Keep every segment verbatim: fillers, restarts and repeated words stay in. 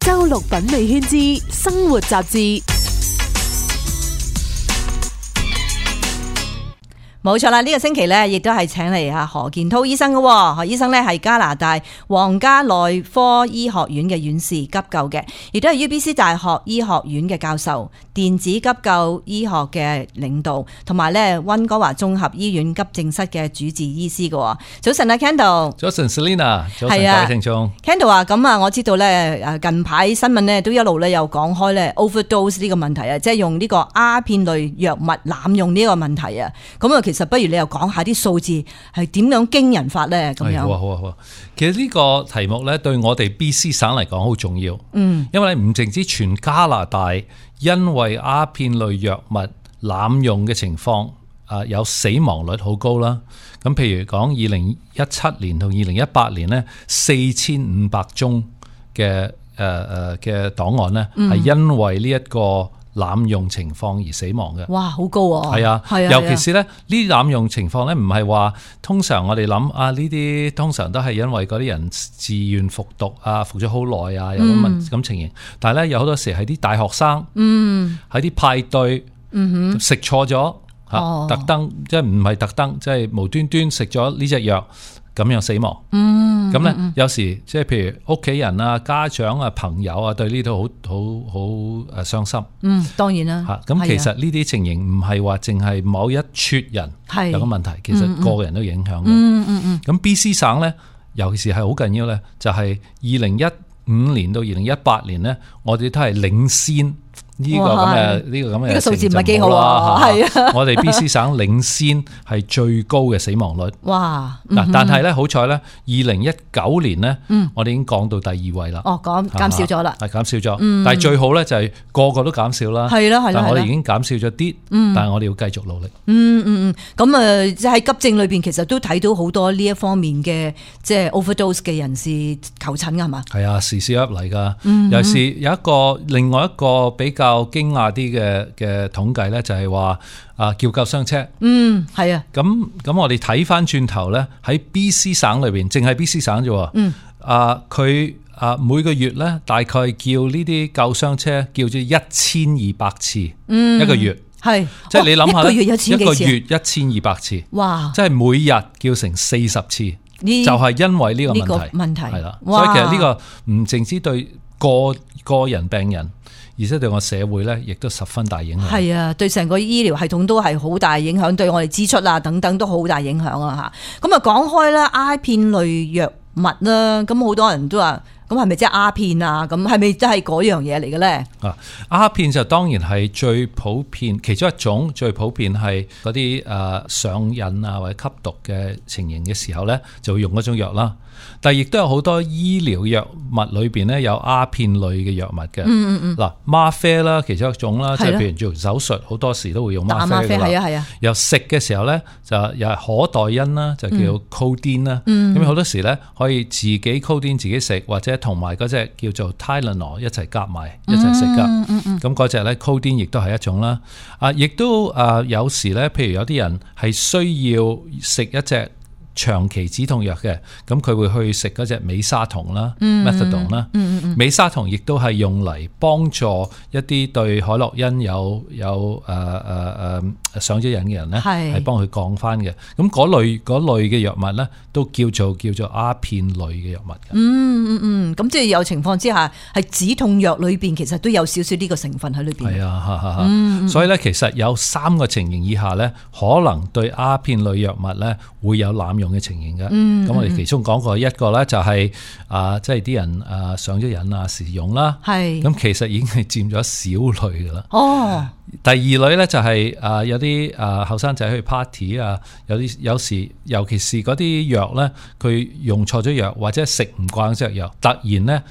周六品味圈之生活雜誌。冇錯啦，呢、這個星期咧，亦都係請嚟啊何健滔醫生嘅。何醫生咧係加拿大皇家內科醫學院嘅院士急救嘅，亦都係 U B C 大學醫學院嘅教授、電子急救醫學嘅領導，同埋咧溫哥華綜合醫院急症室嘅主治醫師嘅。早晨啊 ，Kendall。早晨 Selina， 早晨各位聽眾。Kendall 啊，咁啊，我知道咧，誒近排新聞咧都一路咧有講開咧 overdose 呢個問題啊，即係用呢個鴉片類藥物濫用呢個問題啊，咁啊其實不如你又講下啲數字係點樣驚人法咧？咁樣好啊好啊好啊！其實呢個題目咧對我哋 B C 省嚟講好重要，嗯，因為唔淨止全加拿大因為鴉片類藥物濫用嘅情況，啊有死亡率好高啦。咁譬如講二零一七年同二零一八年咧，四千五百宗嘅誒誒嘅檔案咧，係、嗯、因為呢一個濫用情況而死亡嘅。哇，好高啊！係啊，係啊，尤其是咧呢啲濫用情況咧，唔係話通常我哋諗啊呢啲通常都係因為嗰啲人自願服毒啊，服咗好耐啊，有咁咁情形。嗯、但係咧有好多時係啲大學生，嗯，喺啲派對，嗯哼，食錯咗吓，特登即係唔係特登，即係無端端食咗呢隻藥。咁樣死亡，嗯，咁咧、嗯、有時即係譬如屋企人啊、家長啊、朋友啊，對呢度好好好誒傷心，嗯，當然啦，嚇，咁其實呢啲情形唔係話淨係某一撮人有個問題，其實個人都影響嘅，嗯嗯嗯，咁 B C 省咧，尤其是係好緊要咧，就係二零一五年到二零一八年咧，我哋都係領先。呢、這個咁嘅呢個咁嘅，呢個數字唔係幾好啊！係啊，我哋 B C 省領先係最高嘅死亡率。哇！嗱、嗯，但係咧好彩咧，二零一九年咧，嗯、我哋已經降到第二位啦。哦，減減少咗啦，係減少咗。嗯、但係最好咧就係個個都減少啦。係啦係啦，但係我哋已經減少咗啲，但係我哋要繼續努力。嗯嗯嗯，咁啊，即係喺急症裏邊，其實都睇到好多呢一方面嘅即係 overdose 嘅人士求診㗎，係嘛？係啊，時時入嚟㗎。嗯、尤其是有一個另外一個比較。較驚訝啲嘅嘅統計咧，就係話啊叫救傷車，嗯係啊，咁咁我哋睇翻轉頭咧，喺 B C 省裏邊，淨係 B C 省啫，嗯啊佢啊每個月咧大概叫呢啲救傷車叫咗一千二百次，嗯一個月係，即係你諗下咧，一個月一千幾次，一個月一千二百次，哇！即係每日叫成四十次，就係因為呢個問題，呢個問題係啦，所以其實呢個唔淨止對個個人病人。而且對我社會咧，亦都十分大影響。係啊，對成個醫療系統都係好大影響，對我哋支出啊等等都好大影響啊嚇。咁啊講開啦，鴉片類藥物啦，咁好多人都話，咁係咪即係鴉片啊？咁係咪真係嗰樣嘢嚟嘅咧？啊，鴉片就當然係最普遍，其中一種最普遍係嗰啲誒上癮啊或者吸毒嘅情形嘅時候咧，就會用嗰種藥啦。但係亦都有好多醫療藥物裏邊咧有鴉片類嘅藥物嘅，嗯嗯嗯，嗱嗎啡啦，其中一種啦，即係譬如做手術好多時都會用嗎啡㗎啦，係啊係啊。又食嘅時候咧就又係可待因啦，就叫 codeine 啦，咁好多時咧可以自己 codeine 自己食，或者同埋嗰隻叫做 Tylenol 一齊夾埋一齊食噶，咁嗰隻咧 codeine 亦都係一種啦。啊，亦都啊有時咧，譬如有啲人係需要食一隻長期止痛藥嘅，咁佢會去食嗰隻美沙酮啦 methadone 啦，美沙酮亦都係用嚟幫助一啲對海洛因有有誒誒誒上咗癮嘅人咧，係幫佢降翻嘅。咁嗰類嗰類嘅藥物咧，都叫做叫做鴉片類嘅藥物嘅。嗯嗯嗯，咁即係有情況之下，係止痛藥裏邊其實都有少少呢個成分喺裏邊。係啊，哈哈哈。嗯，所以咧，其實有三個情形以下咧，可能對鴉片類藥物咧會有濫用嘅情形嘅。嗯，咁我哋其中講過一個咧，就係啊，即係啲人啊上咗癮啊時用啦。係。咁其實已經係佔咗少類噶啦。哦。第二類咧就係啊有啲啊後生仔去 party 啊，有啲有時尤其是嗰啲藥咧，佢用錯咗藥或者食唔慣隻藥，突然咧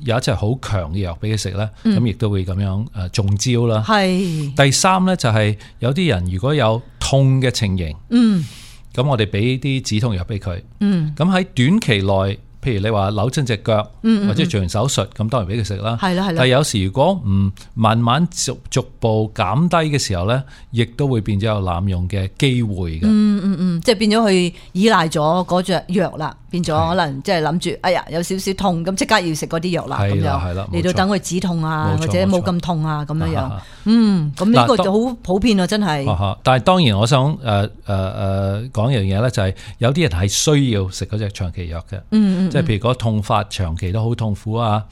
有一隻好強嘅藥俾佢食咧，咁亦都會咁樣誒中招啦。係。第三咧就係有啲人如果有痛嘅情形，嗯，咁我哋俾啲止痛藥俾佢，嗯，咁喺短期內。譬如你話扭親隻腳，或者做完手術，咁、嗯嗯、當然俾佢食啦。係啦係啦。但係有時如果唔慢慢逐逐步減低嘅時候咧，亦都會變咗有濫用嘅機會嘅。嗯嗯嗯，即係變咗去依賴咗嗰隻藥啦。變咗可能即係諗住，哎呀有少少痛咁，即刻要食嗰啲藥啦，咁樣嚟到等佢止痛啊，或者冇咁痛啊，咁樣樣。嗯，咁呢個就好普遍啊，真係。但係當然我想誒誒誒講一樣嘢咧，就係有啲人係需要食嗰隻長期藥嘅。嗯嗯。即係譬如嗰個痛法長期都好痛苦啊，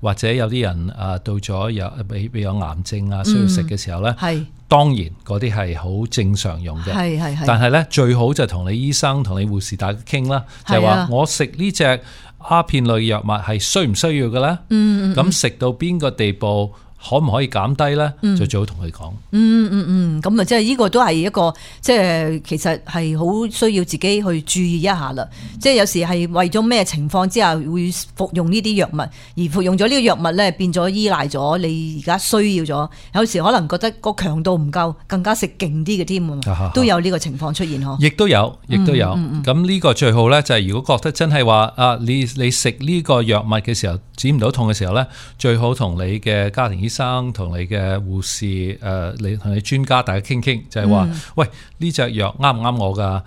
或者有啲人誒到咗有比比有癌症啊，需要食嘅時候咧。係、嗯。當然嗰啲係好正常用嘅，係係係。但係咧最好就同你醫生同你護士大家傾啦，就係話我食呢隻鴉片類藥物係需唔需要嘅咧？嗯嗯。咁食到邊個地步？可唔可以減低咧？就最好同佢講。嗯嗯嗯，咁啊，即係呢個都係一個，即係其實係好需要自己去注意一下啦。即係有時係為咗咩情況之下會服用呢啲藥物，而服用咗呢個藥物咧，變咗依賴咗你而家需要咗。有時可能覺得個強度唔夠，更加食勁啲嘅添啊，都有呢個情況出現嗬。亦都有，亦都有。咁、嗯、呢、嗯嗯、個最好咧，就係如果覺得真係話啊，你你食呢個藥物嘅時候止唔到痛嘅時候咧，最好同你嘅家庭醫生同你嘅護士誒、呃，你同你專家大家傾傾，就係、是、話、嗯，喂，呢隻藥啱唔啱我噶？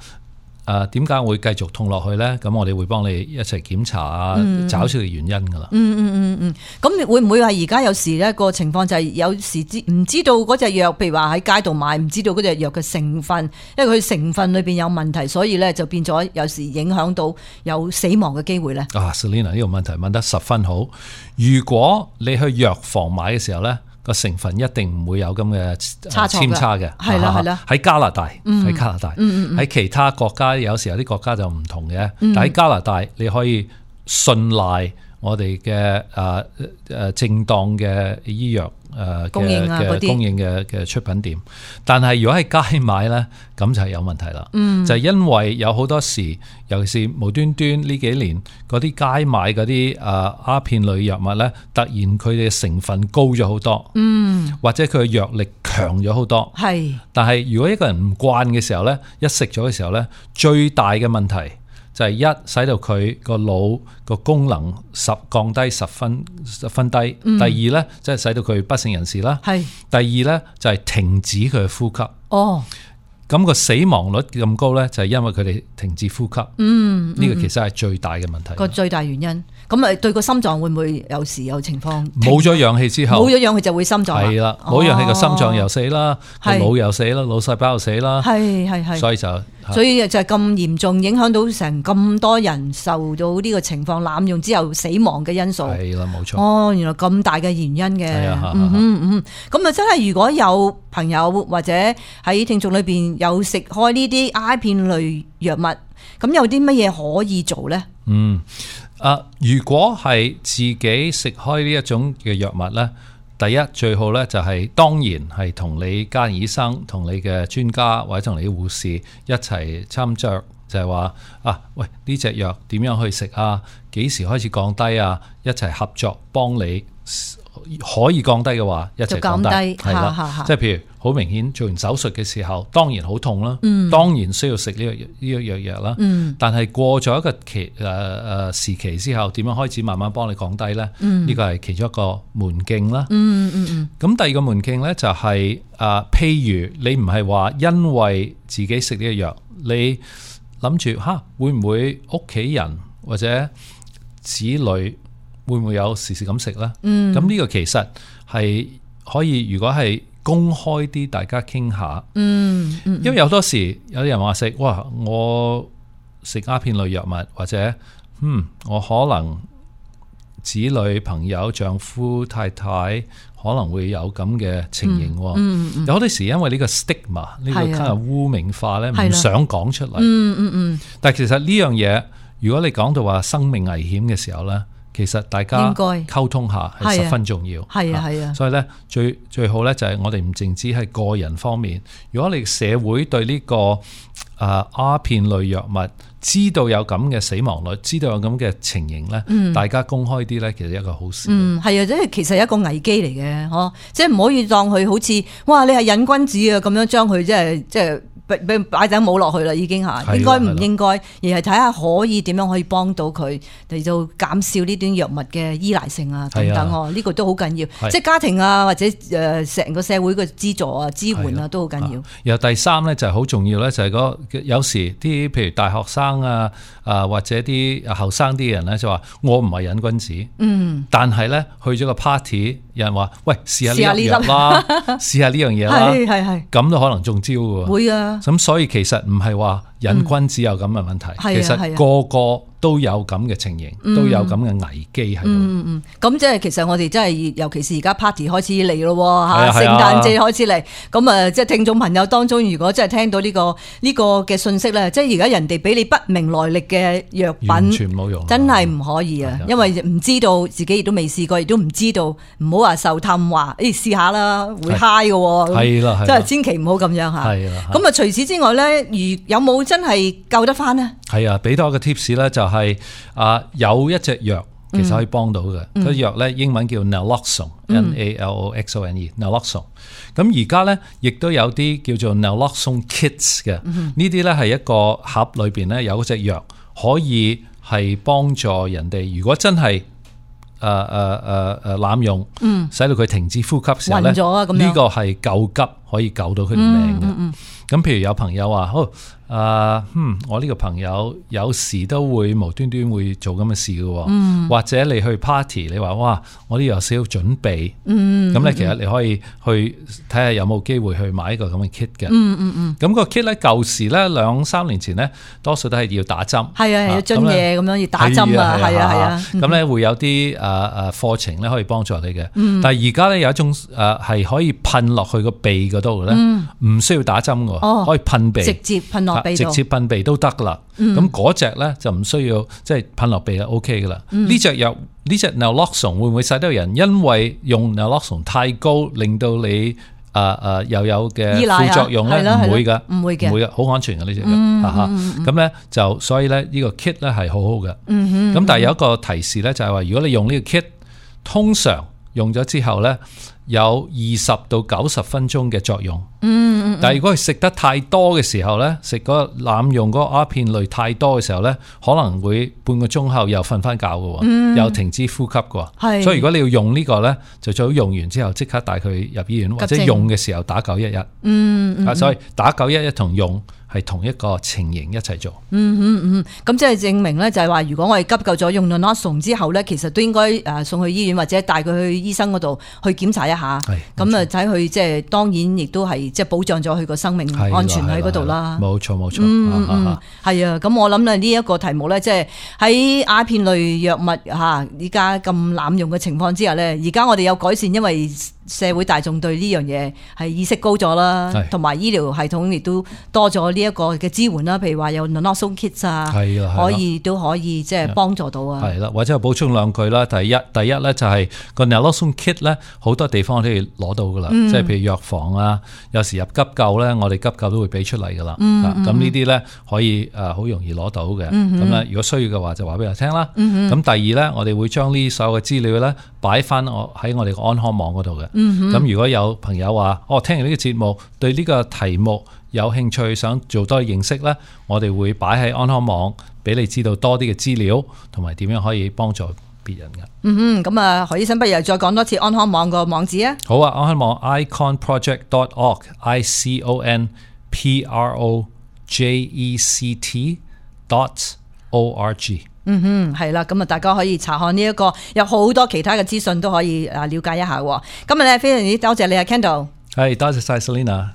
誒，點解會繼續痛落去咧？咁我哋會幫你一齊檢查啊，嗯、找出個原因噶啦。嗯嗯嗯嗯，咁、嗯、會唔會係而家有時咧個情況就係有時知唔知道嗰隻藥，譬如話喺街度買，唔知道嗰隻藥嘅成分，因為佢成分裏邊有問題，所以咧就變咗有時影響到有死亡嘅機會咧。啊 Selena 呢個問題問得十分好。如果你去藥房買嘅時候咧，個成分一定唔會有咁嘅扦差嘅，係啦係啦。喺加拿大，喺、嗯、加拿大，喺、嗯嗯、其他國家有時有啲國家就唔同嘅、嗯，但喺加拿大你可以信賴我哋嘅誒誒正當嘅醫藥誒嘅嘅供應嘅嘅出品店。但係如果喺街買咧，咁就係有問題啦、嗯。就係、是、因為有好多時，尤其是無端端呢幾年嗰啲街買嗰啲誒鴉片類藥物咧，突然佢哋嘅成分高咗好多，嗯，或者佢嘅藥力強咗好多，係。但係如果一個人唔慣嘅時候咧，一食咗嘅時候咧，最大嘅問題就係一使到佢個腦個功能十降低十分十分低、嗯。第二咧，即係使到佢不省人事啦。係。第二咧就係停止佢嘅呼吸。哦。咁個死亡率咁高咧，就係因為佢哋停止呼吸。嗯。呢個其實係最大嘅問題。個最大原因。咁啊，對個心臟會唔會有時有情況？冇咗氧氣之後，冇咗氧氣就會心臟。係啦，冇氧氣個心臟又死啦，個腦又死啦，腦細胞又死啦。係係係。所以就所以就係咁嚴重，影響到成咁多人受到呢個情況濫用之後死亡嘅因素。係啦，冇錯。哦，原來咁大嘅原因嘅。係啊，嗯嗯嗯。咁啊，真係如果有朋友或者喺聽眾裏邊有食開呢啲鴉片類藥物，咁有啲乜嘢可以做咧？嗯。啊！如果係自己食開呢一種嘅藥物咧，第一最好咧就係當然係同你家庭醫生、同你嘅專家或者同你嘅護士一齊參酌，就係話啊，喂，呢隻藥點樣去食啊？幾時開始降低啊？一齊合作幫你可以降低嘅話，一齊降低係啦。即係譬如好明顯做完手術嘅時候，當然好痛啦、嗯，當然需要食呢個呢個藥藥啦。但係過咗一個期誒誒時期之後，點樣開始慢慢幫你降低咧？呢、嗯呢個係其中一個門徑啦。嗯嗯嗯。咁第二個門徑咧就係、是、誒、呃，譬如你唔係話因為自己食呢個藥，你諗住吓會唔會屋企人或者子女會唔會有時時咁食咧？嗯。咁呢個其實係可以，如果係公開啲，大家傾下。嗯嗯。因為有多時有啲人話食，哇！我食鴉片類藥物，或者嗯，我可能子女、朋友、丈夫、太太可能會有咁嘅情形。嗯嗯。有好多時因為呢個 stigma 呢個kind of污名化咧，唔想講出嚟。嗯嗯嗯。但係其實呢樣嘢，如果你講到話生命危險嘅時候咧，其實大家溝通下係十分重要。係啊係啊。所以咧最最好咧就係我哋唔淨止係個人方面，如果你社會對呢、這個誒鴉片類藥物知道有咁嘅死亡率，知道有咁嘅情形咧、嗯，大家公開啲咧，其實一個好事。嗯，係啊，即係其實係一個危機嚟嘅，嗬，即係唔可以當佢好似哇，你係癮君子啊咁樣將佢即係即係俾俾擺頂帽落去啦，已經嚇，應該唔應該，而係睇下可以點樣可以幫到佢嚟到減少呢啲藥物嘅依賴性啊等等哦，呢個都好緊要，即係家庭啊或者誒成個社會嘅資助啊支援啊都好緊要。然後第三咧就係好重要咧，就係嗰有時啲譬如大學生啊啊或者啲後生啲人咧就話我唔係癮君子，嗯，但係咧去咗個 party， 有人話喂試下呢樣嘢啦，試下呢樣嘢啦，係係係，咁都可能中招嘅喎，會啊，咁所以其實唔係話癮君子有咁嘅問題，嗯、其實個個都有咁嘅情形，嗯、都有咁嘅危機喺度。嗯嗯，咁即係其實我哋真係，尤其是而家 party 開始嚟咯嚇，聖誕節開始嚟，咁啊即係聽眾朋友當中，如果真係聽到呢、這個呢、這個嘅信息咧，即係而家人哋俾你不明來歷嘅藥品，完全冇用，真係唔可以啊！因為唔知道自己亦都未試過，亦都唔知道，唔好話受氹話，誒試下啦，會 high 嘅喎，係啦，真係千祈唔好咁樣嚇。係啦，咁啊除此之外咧，如有冇真係救得翻呢？係啊，俾多一個 tips 咧，就係啊有一隻藥其實可以幫到嘅，嗰藥咧英文叫 Naloxone，N A L O X O N E，Naloxone。咁而家咧亦都有啲叫做 Naloxone Kits 嘅，呢啲咧係一個盒裏邊咧有嗰隻藥，可以係幫助人哋。如果真係誒誒誒誒濫用，嗯，使到佢停止呼吸時候咧，呢個係救急，可以救到佢條命嘅。咁、嗯嗯、譬如有朋友話好。啊，嗯，我呢個朋友有時都會無端端會做咁嘅事嘅，嗯、或者你去 party， 你話哇，我呢有少少準備，咁、嗯、咧其實你可以去睇下有冇機會去買一個咁嘅 kit 嘅，咁、嗯嗯、個 kit 咧舊時咧兩三年前咧多數都係要打針，係啊，要樽嘢咁樣要打針啊，係啊係啊，咁咧會有啲誒誒課程咧可以幫助你嘅，嗯、但係而家咧有一種誒係可以噴落去個鼻嗰度咧，唔、嗯、需要打針嘅，哦、可以噴鼻，直接噴落。直接噴鼻都得啦，咁嗰隻咧就唔需要即係噴落鼻就 O K 噶啦。呢隻藥呢隻 Naloxone 會唔會使到人因為用 Naloxone 太高，令到你誒誒、呃、又有嘅副作用咧？唔會噶，唔會嘅，唔會嘅，好安全嘅呢隻藥嚇。咁咧就所以咧呢個 kit 咧係好好嘅。咁、嗯、但係有一個提示咧，就係話如果你用呢個 kit，通常用咗之後咧有二十到九十分鐘嘅作用。嗯，但係如果佢食得太多嘅時候咧，食嗰個濫用嗰個鴉片類太多嘅時候咧，可能會半個鐘後又瞓翻覺嘅，嗯、又停止呼吸嘅。係，所以如果你要用呢個咧，就最好用完之後即刻帶佢入醫院，或者用嘅時候打九一一。嗯，嗯，所以打九一一同用係同一個情形一齊做。嗯嗯嗯，咁即係證明咧，就係話如果我哋急救咗用 Naloxone 之後咧，其實都應該誒送去醫院或者帶佢去醫生嗰度去檢查一下。係，咁啊睇佢即係當然亦都係。即係保障咗佢個生命安全喺嗰度啦。冇錯冇錯，嗯嗯，係啊。咁我諗咧呢一個題目咧，即係喺鴉片類藥物嚇依家咁濫用嘅情況之下咧，而家我哋有改善，因為社會大眾對呢樣嘢係意識高咗啦，同埋醫療系統亦都多咗呢一個嘅支援啦。譬如話有 Naloxone kits 啊，可以都可以即係幫助到啊。係啦，或者補充兩句啦。第一第一咧就係個 Naloxone kit 咧，好多地方都要攞到噶啦，即係譬如藥房啊，有時入急救咧，我哋急救都會俾出嚟噶啦。咁呢啲咧可以誒好容易攞到嘅。咁咧如果需要嘅話就話俾我聽啦。咁第二咧，我哋會將呢所有嘅資料咧擺翻我喺我哋個安康網嗰度嘅。咁、嗯、如果有朋友話，哦，聽完呢個節目對呢個題目有興趣，想做多啲認識呢，我哋會擺喺安康網俾你知道多啲嘅資料，同埋點樣可以幫助別人嘅。嗯哼，咁啊，何醫生不如再講多次安康網個網址啊。好啊，安康網 i con project dot org，i c o n p r o j e c t dot o r g。嗯哼，係啦，咁啊，大家可以查看呢、這、一個，有好多其他嘅資訊都可以啊了解一下。今日咧非常之多謝你啊 Kendall，係多謝晒 Selena。